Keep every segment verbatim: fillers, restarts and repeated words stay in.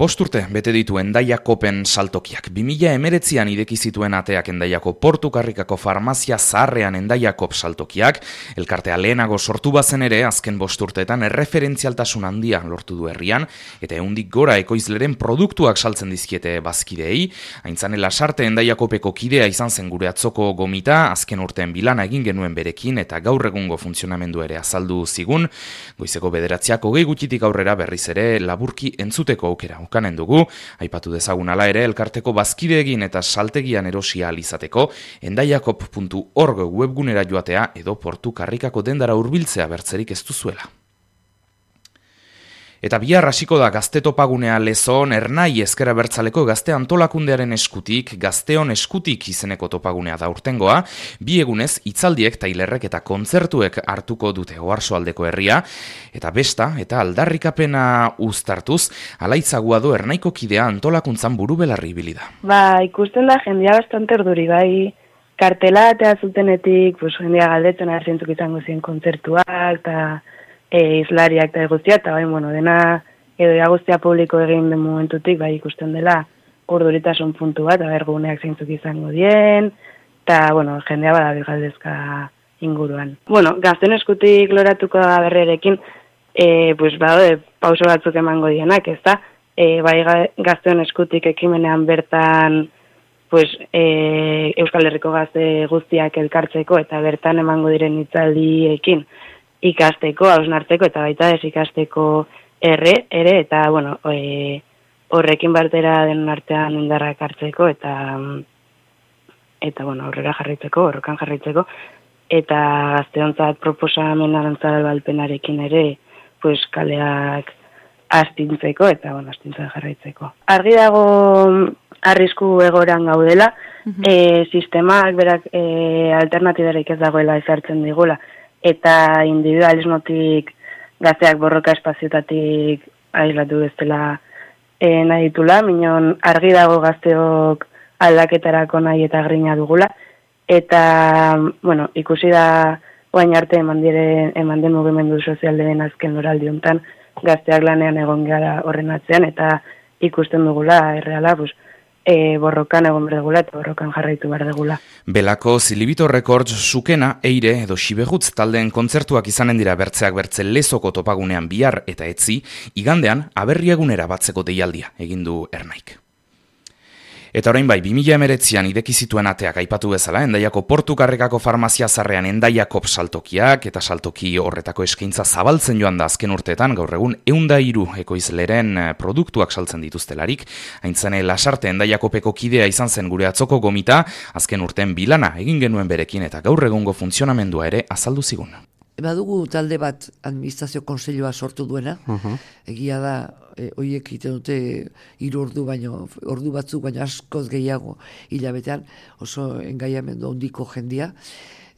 Bost urte bete ditu Hendaiakopen saltokiak. bi mila hemeretzian ideki zituen ateak Hendaiako Portu Karrikako farmazia zaharrean Hendaiakop saltokiak. Elkartea lehenago sortu bazen ere, azken bost urteetan erreferentzialtasun handia lortu du herrian, eta ehundik gora ekoizleren produktuak saltzen dizkiete bazkideei. Aintzane Lasarte Hendaiakopeko kidea izan zen gure atzoko gomita, azken urteen bilana egin genuen berekin, eta gaur egungo funtzionamendu ere azaldu zigun. Goizeko bederatziak hogei gutxitik aurrera berriz ere laburki entzuteko aukera ukanen dugu, aipatu dezagun ala ere elkarteko bazkideegin eta saltegian erosia alizateko, hendaiakop puntu org webgunera joatea edo Portu Karrikako dendara hurbiltzea bertzerik ez duzuela. Eta bihar hasiko da Gazte Topagunea Lezon, Ernai Ezker Abertzaleko Gazte Antolakundearen eskutik, Gazteon eskutik izeneko topagunea da urtengoa, bi egunez hitzaldiek, tailerrek eta kontzertuek hartuko dute Oarsoaldeko herria, eta besta eta aldarrikapena uztartuz, alaitzagua du Ernaiko kidea antolakuntzan buru belarri ibili da. Ba, ikusten da jendia bastante urduri, bai, kartela eta zutenetik, pues, jendia galdetzen arzientzuk izango ziren kontzertuak, eta E, izlariak eta guztia, eta bai, bueno, dena edo guztia publiko egin den momentutik, bai, ikusten dela urduritasun puntu bat, aber guneak zeintzuk izango dien, eta, bueno, jendea badabil galdezka inguruan. Bueno, Gazteon eskutik loratuko da berrerekin, e, pues, badaude pauso batzuk emango dienak, ez da? E, bai, Gazteon eskutik ekimenean bertan, pues, e, Euskal Herriko gazte guztiak elkartzeko, eta bertan emango diren hitzaldiekin, ikasteko, hausnartzeko eta baita ez ikasteko erre, ere, eta, bueno, e, horrekin batera den artean indarrak hartzeko, eta, eta, bueno, aurrera jarraitzeko, horrokan jarraitzeko, eta gazteontzat proposamen arantzara balpenarekin ere, pues, kaleak astintzeko, eta, bueno, astintzen jarraitzeko. Argi dago arrisku egoran gaudela, mm-hmm. e, sistemak berak e, alternatibarik ez dagoela ezartzen digula, eta individualismotik gazteak borroka espaziotatik aislatu bezala e, nahi ditula, minon argi dago gazteok aldaketarako nahi eta grina dugula, eta, bueno, ikusi da oain arte eman, dire, eman den mugimendu sozialdeen azken loraldi hontan gazteak lanean egon gara horren atzean, eta ikusten dugula, erreala, pues, E, borrokan egon behar dugula eta borrokan jarraitu behar dugula. Belako Zilibito Records, Sukena, Eire edo Xibegutz taldeen kontzertuak izanen dira bertzeak bertze Lezoko topagunean bihar eta etzi, igandean aberriagunera batzeko deialdia egin du Ernaik. Eta orain bai, bi mila hemeretzian ideki zituen ateak aipatu bezala, Hendaiako Portu Karrikako farmazia zaharrean Hendaiakop saltokiak eta saltoki horretako eskaintza zabaltzen joan da azken urteetan, gaur egun ehun eta hiru ekoizleren produktuak saltzen dituztelarik. Aintzane Lasarte Hendaiakopeko kidea izan zen gure atzoko gomita, azken urteen bilana egin genuen berekin eta gaur egungo funtzionamendua ere azaldu zigun. Badugu talde bat administrazio konseilua sortu duena, uh-huh. Egia da, e, oiek egiten dute hiru ordu baino, ordu batzuk baino askoz gehiago hilabetean, oso engaiamendu handiko jendia.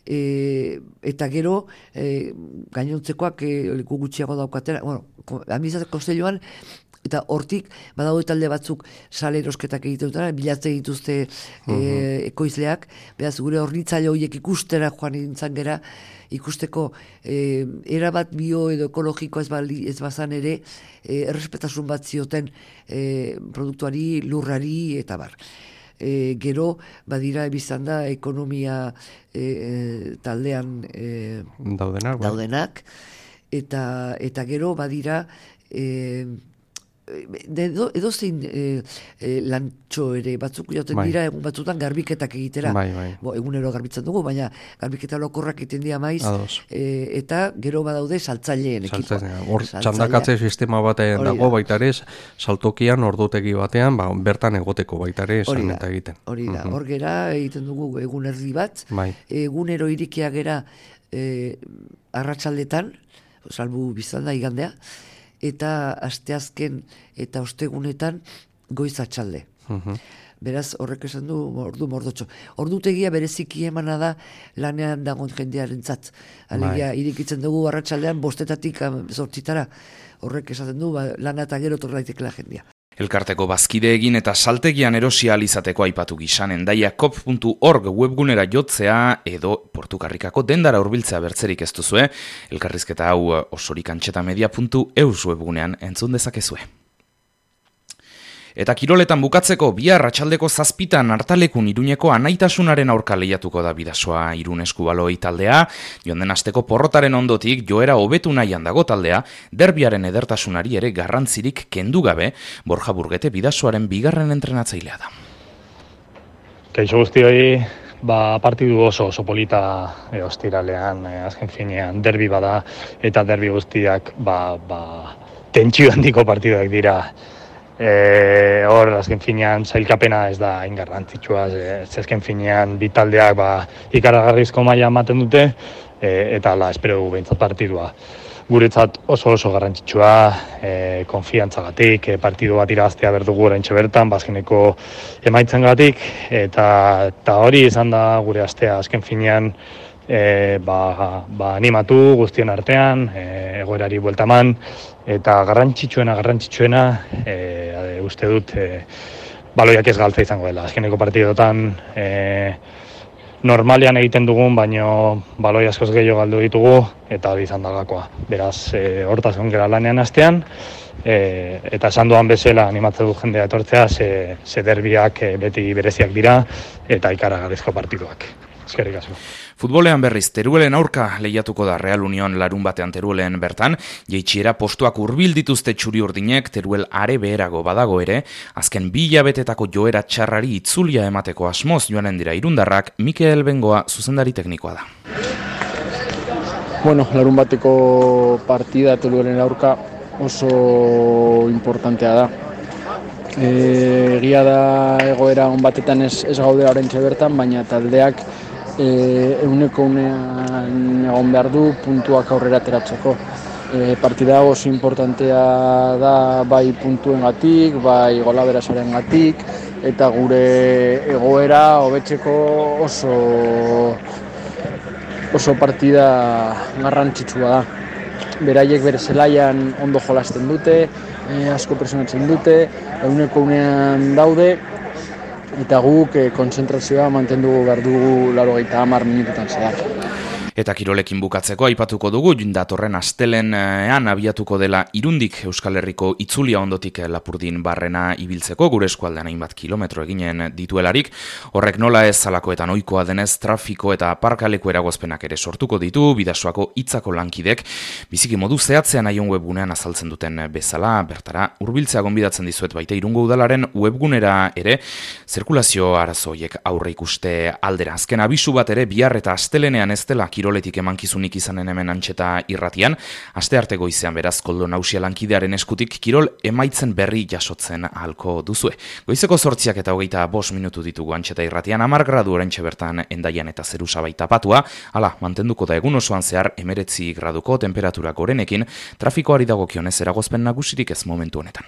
E, eta gero, e, gainontzekoak e, gutxiago daukatera, bueno, administrazio konseiluan, eta hortik, badaude talde batzuk sale erosketak egiten dutena, bilatzen dituzte uh-huh. e, ekoizleak, beraz gure hornitzaile horiek ikustera joan nintzen gera, ikusteko e, erabat bio edo ekologiko ez, bali, ez bazan ere, e, errespetasun bat zioten e, produktuari, lurrari eta bar. E, gero, badira biztan da, ekonomia e, e, taldean e, daudenak, daudenak eta, eta gero, badira, e, edo, edo zein e, e, lantxo ere batzuk joten bai. Dira egun batzutan garbiketak egitera bai, bai. Bo, egunero garbitzen dugu, baina garbiketa lokorrak egiten dira maiz e, eta gero badaude saltzaileen ekipoa. Hor txandakatze sistema batean dago baita ere, saltokian ordutegi batean ba, bertan egoteko baita ere esan eta egiten. Hori da, hor gera egiten dugu egun erdi bat, bai. Egunero irikia gera e, arratsaldetan, salbu biztan da igandea, eta asteazken eta ostegunetan goiz atxalde. Uh-huh. Beraz, horrek esan du ordu mordotxo. Ordutegia bereziki emana da lanean dagoen jendearentzat. Alegia, bai. Irikitzen dugu arratsaldean bostetatik zortzitara. Horrek esaten du, ba, lana eta gero torraitekela jendea. Elkarteko bazkide egin eta saltegian erosia alizateko aipatu gisan hendaiakop puntu org webgunera jotzea edo Portu Karrikako dendara hurbiltzea bertzerik ez duzue. Elkarrizketa hau osorikantxetamedia puntu eus webgunean entzun dezakezue. Eta kiroletan bukatzeko bihar arratsaldeko zazpitan Artalekun Iruñeko Anaitasunaren aurka lehiatuko da Bidasoa Irun eskubaloi taldea. Joan den asteko porrotaren ondotik joera hobetu nahian dago taldea, derbiaren edertasunari ere garrantzirik kendu gabe. Borja Burgete Bidasoaren bigarren entrenatzailea da. Kaixo guztioi, ba, partidu oso oso polita e, ostiralean, e, azken finean derbi bada eta derbi guztiak ba, ba, tentsio handiko partiduak dira. E, hor, azken finean, zailkapena ez da hain garrantzitsua, ez azken finean bi taldeak ba, ikaragarrizko maila ematen dute, e, eta ala, espero dugu behintzat partidua. Guretzat oso oso garrantzitsua, e, konfiantzagatik, e, partidu bat irabaztea berdugu oraintxe bertan, bazkeneko emaitzengatik, eta, eta hori izan da gure astea, azken finean, E, ba, ba, animatu guztion artean, e, egoerari buelta eman, eta garrantzitsuena, garrantzitsuena, e, uste dut, e, baloiak ez galtza izango dela. Azkeneko partidotan e, normalean egiten dugun, baino baloi askoz gehiago galdu ditugu, eta hori izan dagakoa. Beraz, e, hortaz gongera lanean astean, e, eta esan duan bezala animatze du jendea etortzea, ze, ze derbiak e, beti bereziak dira, eta ikaragarrizko partiduak. Eskerrik asko. Futbolean berriz Teruelen aurka lehiatuko da Real Union larun batean Teruelen bertan, jeitsiera postuak hurbil dituzte txuri urdinek, Teruel are beherago badago ere, azken bi hilabetetako joera txarrari itzulia emateko asmoz joanen dira irundarrak, Mikel Bengoa zuzendari teknikoa da. Bueno, larun bateko partida Teruelen aurka oso importantea da. Egia da egoera on batetan ez, ez gaudela oraintxe bertan, baina taldeak e, euneko unean egon behar du puntuak aurrera ateratzeko. E, partida oso importantea da bai puntuengatik, bai golaberasarengatik, eta gure egoera hobetzeko oso oso partida garrantzitsua da. Beraiek bere zelaian ondo jolasten dute, e, asko presionatzen dute, euneko unean daude, eta guk e, kontzentrazioa mantendu behar dugu laurogeita hamar minututan zehar. Eta kirolekin bukatzeko aipatuko dugu, datorren astelenean abiatuko dela Irundik Euskal Herriko itzulia ondotik Lapurdin barrena ibiltzeko, gure eskualdean hainbat kilometro eginen dituelarik. Horrek nola ez zalakoetan ohikoa denez trafiko eta parkaleko eragozpenak ere sortuko ditu, Bidasoako hitzako lankidek, biziki modu zehatzean aion webgunean azaltzen duten bezala, bertara hurbiltzea gonbidatzen dizuet baita Irungo Udalaren webgunera ere, zirkulazio arazoiek aurre ikuste aldera. Azken abisu bat ere bihar eta astelenean ez dela kiroletik emankizunik izanen hemen Antxeta irratian, astearte goizean beraz Koldo Nausia lankidearen eskutik kirol emaitzen berri jasotzen ahalko duzue. Goizeko zortziak eta hogeita bost minutu ditugu Antxeta irratian, hamar gradu oraintxe bertan Endaian eta zerusa baita patua, hala, mantenduko da egun osoan zehar hemeretzi graduko temperatura gorenekin, trafikoari dagokionez eragozpen nagusirik ez momentu honetan.